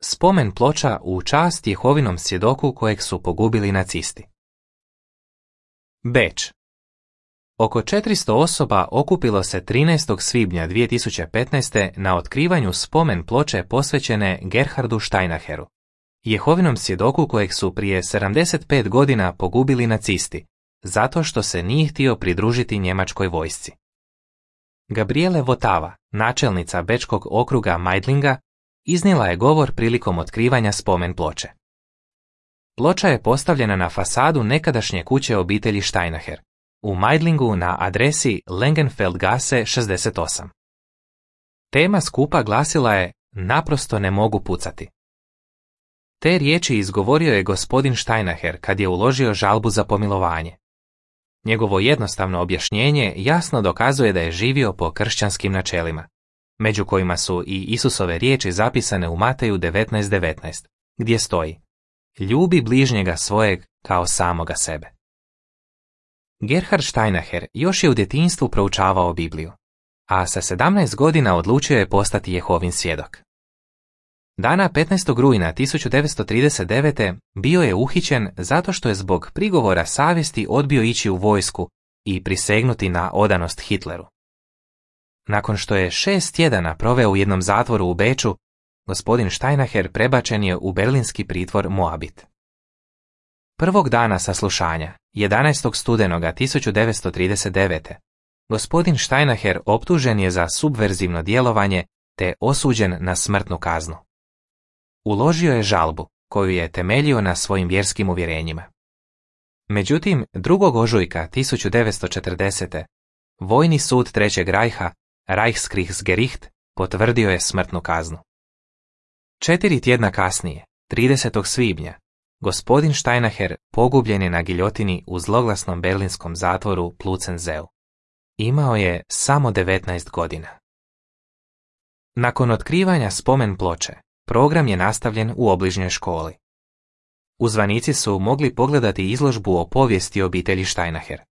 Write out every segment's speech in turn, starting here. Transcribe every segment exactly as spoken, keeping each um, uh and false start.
Spomen ploča u čast Jehovinom svjedoku kojeg su pogubili nacisti. Beč. Oko četiristo osoba okupilo se trinaestog svibnja dvije tisuće petnaeste. na otkrivanju spomen ploče posvećene Gerhardu Steinacheru, Jehovinom svjedoku kojeg su prije sedamdeset pet godina pogubili nacisti, zato što se nije htio pridružiti njemačkoj vojsci. Gabriele Votava, načelnica bečkog okruga Meidlinga, iznijela je govor prilikom otkrivanja spomen ploče. Ploča je postavljena na fasadu nekadašnje kuće obitelji Steinacher, u Meidlingu na adresi Langenfeldgasse šezdeset osam. Tema skupa glasila je "Naprosto ne mogu pucati". Te riječi izgovorio je gospodin Steinacher kad je uložio žalbu za pomilovanje. Njegovo jednostavno objašnjenje jasno dokazuje da je živio po kršćanskim načelima, među kojima su i Isusove riječi zapisane u Mateju devetnaest devetnaest, gdje stoji: "Ljubi bližnjega svojeg kao samoga sebe." Gerhard Steinacher još je u djetinjstvu proučavao Bibliju, a sa sedamnaest godina odlučio je postati Jehovin svjedok. Dana petnaestog rujna tisuću devetsto trideset devete. bio je uhićen zato što je zbog prigovora savjesti odbio ići u vojsku i prisegnuti na odanost Hitleru. Nakon što je šest tjedana proveo u jednom zatvoru u Beču, gospodin Steinacher prebačen je u berlinski pritvor Moabit. Prvog dana saslušanja, jedanaestog studenoga tisuću devetsto trideset devete. gospodin Steinacher optužen je za subverzivno djelovanje te osuđen na smrtnu kaznu. Uložio je žalbu, koju je temeljio na svojim vjerskim uvjerenjima. Međutim, drugog ožujka tisuću devetsto četrdesete. Vojni sud Trećeg rajha, Reichskriegsgericht, potvrdio je smrtnu kaznu. Četiri tjedna kasnije, tridesetog svibnja, gospodin Steinacher pogubljen je na giljotini u zloglasnom berlinskom zatvoru Plötzensee. Imao je samo devetnaest godina. Nakon otkrivanja spomen ploče, program je nastavljen u obližnjoj školi. Uzvanici su mogli pogledati izložbu o povijesti obitelji Steinacher.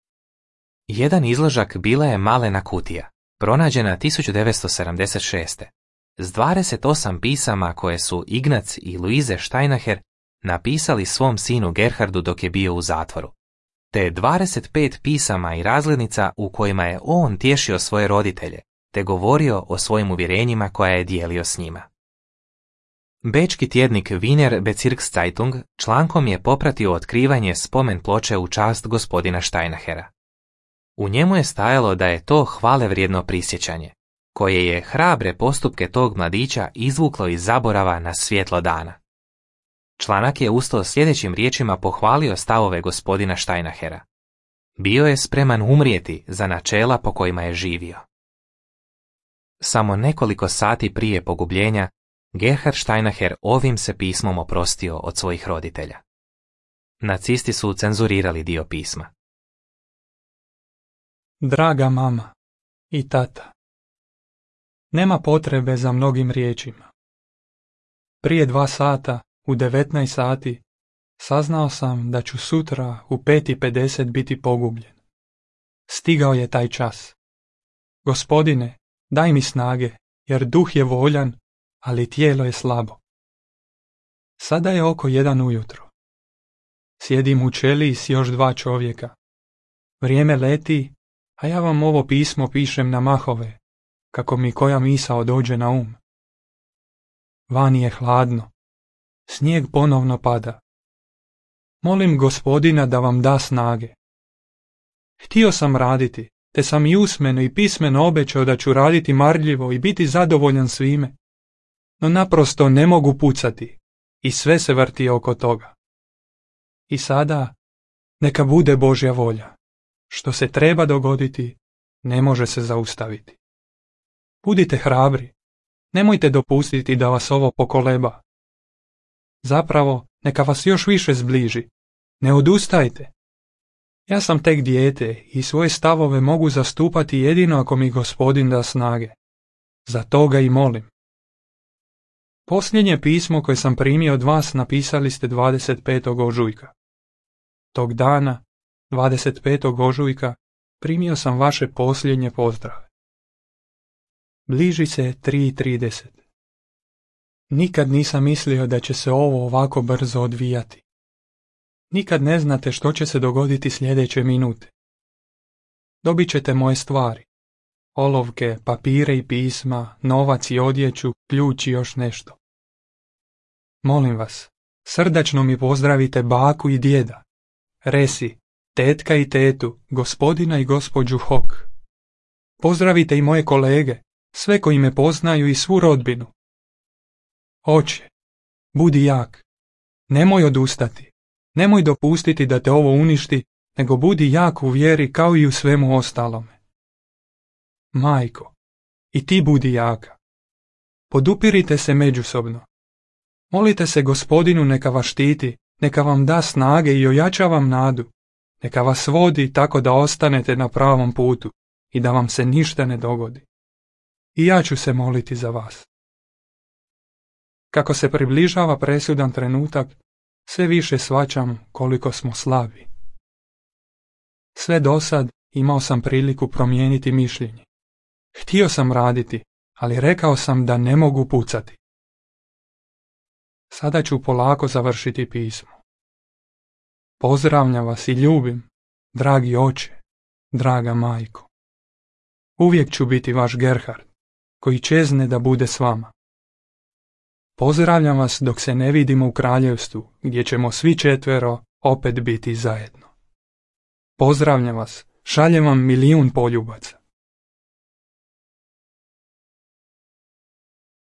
Jedan izložak bila je malena kutija, pronađena tisuću devetsto sedamdeset šeste. s dvadeset osam pisama koje su Ignac i Luise Steinacher napisali svom sinu Gerhardu dok je bio u zatvoru, te dvadeset pet pisama i razglednica u kojima je on tješio svoje roditelje, te govorio o svojim uvjerenjima koja je dijelio s njima. Bečki tjednik Wiener Bezirkszeitung člankom je popratio otkrivanje spomen ploče u čast gospodina Steinachera. U njemu je stajalo da je to hvalevrijedno prisjećanje, koje je hrabre postupke tog mladića izvuklo iz zaborava na svjetlo dana. Članak je usto sljedećim riječima pohvalio stavove gospodina Steinachera. Bio je spreman umrijeti za načela po kojima je živio. Samo nekoliko sati prije pogubljenja, Gerhard Steinacher ovim se pismom oprostio od svojih roditelja. Nacisti su cenzurirali dio pisma. Draga mama i tata, nema potrebe za mnogim riječima. Prije dva sata, u devetnaest sati, saznao sam da ću sutra u pet i pedeset biti pogubljen. Stigao je taj čas. Gospodine, daj mi snage, jer duh je voljan, ali tijelo je slabo. Sada je oko jedan ujutro. Sjedim u ćeliji s još dva čovjeka. Vrijeme leti, a ja vam ovo pismo pišem na mahove, kako mi koja misao dođe na um. Vani je hladno. Snijeg ponovno pada. Molim Gospodina da vam da snage. Htio sam raditi, te sam i usmeno i pismeno obećao da ću raditi marljivo i biti zadovoljan svime. No naprosto ne mogu pucati i sve se vrti oko toga. I sada, neka bude Božja volja. Što se treba dogoditi, ne može se zaustaviti. Budite hrabri, nemojte dopustiti da vas ovo pokoleba. Zapravo, neka vas još više zbliži. Ne odustajte. Ja sam tek dijete i svoje stavove mogu zastupati jedino ako mi Gospodin da snage. Za to ga i molim. Posljednje pismo koje sam primio od vas napisali ste dvadeset petog ožujka. Tog dana, dvadeset petog ožujka, primio sam vaše posljednje pozdrave. Bliži se tri i trideset. Nikad nisam mislio da će se ovo ovako brzo odvijati. Nikad ne znate što će se dogoditi sljedeće minute. Dobit ćete moje stvari. Olovke, papire i pisma, novac i odjeću, ključ i još nešto. Molim vas, srdačno mi pozdravite baku i djeda, Resi, tetka i tetu, gospodina i gospođu Hok. Pozdravite i moje kolege, sve koji me poznaju i svu rodbinu. Oče, budi jak. Nemoj odustati. Nemoj dopustiti da te ovo uništi, nego budi jak u vjeri kao i u svemu ostalome. Majko, i ti budi jaka. Podupirite se međusobno. Molite se Gospodinu neka vas štiti, neka vam da snage i ojača vam nadu, neka vas vodi tako da ostanete na pravom putu i da vam se ništa ne dogodi. I ja ću se moliti za vas. Kako se približava presudan trenutak, sve više shvaćam koliko smo slabi. Sve dosad imao sam priliku promijeniti mišljenje. Htio sam raditi, ali rekao sam da ne mogu pucati. Sada ću polako završiti pismo. Pozdravljam vas i ljubim, dragi oče, draga majko. Uvijek ću biti vaš Gerhard, koji čezne da bude s vama. Pozdravljam vas dok se ne vidimo u kraljevstvu, gdje ćemo svi četvero opet biti zajedno. Pozdravljam vas, šaljem vam milijun poljubaca.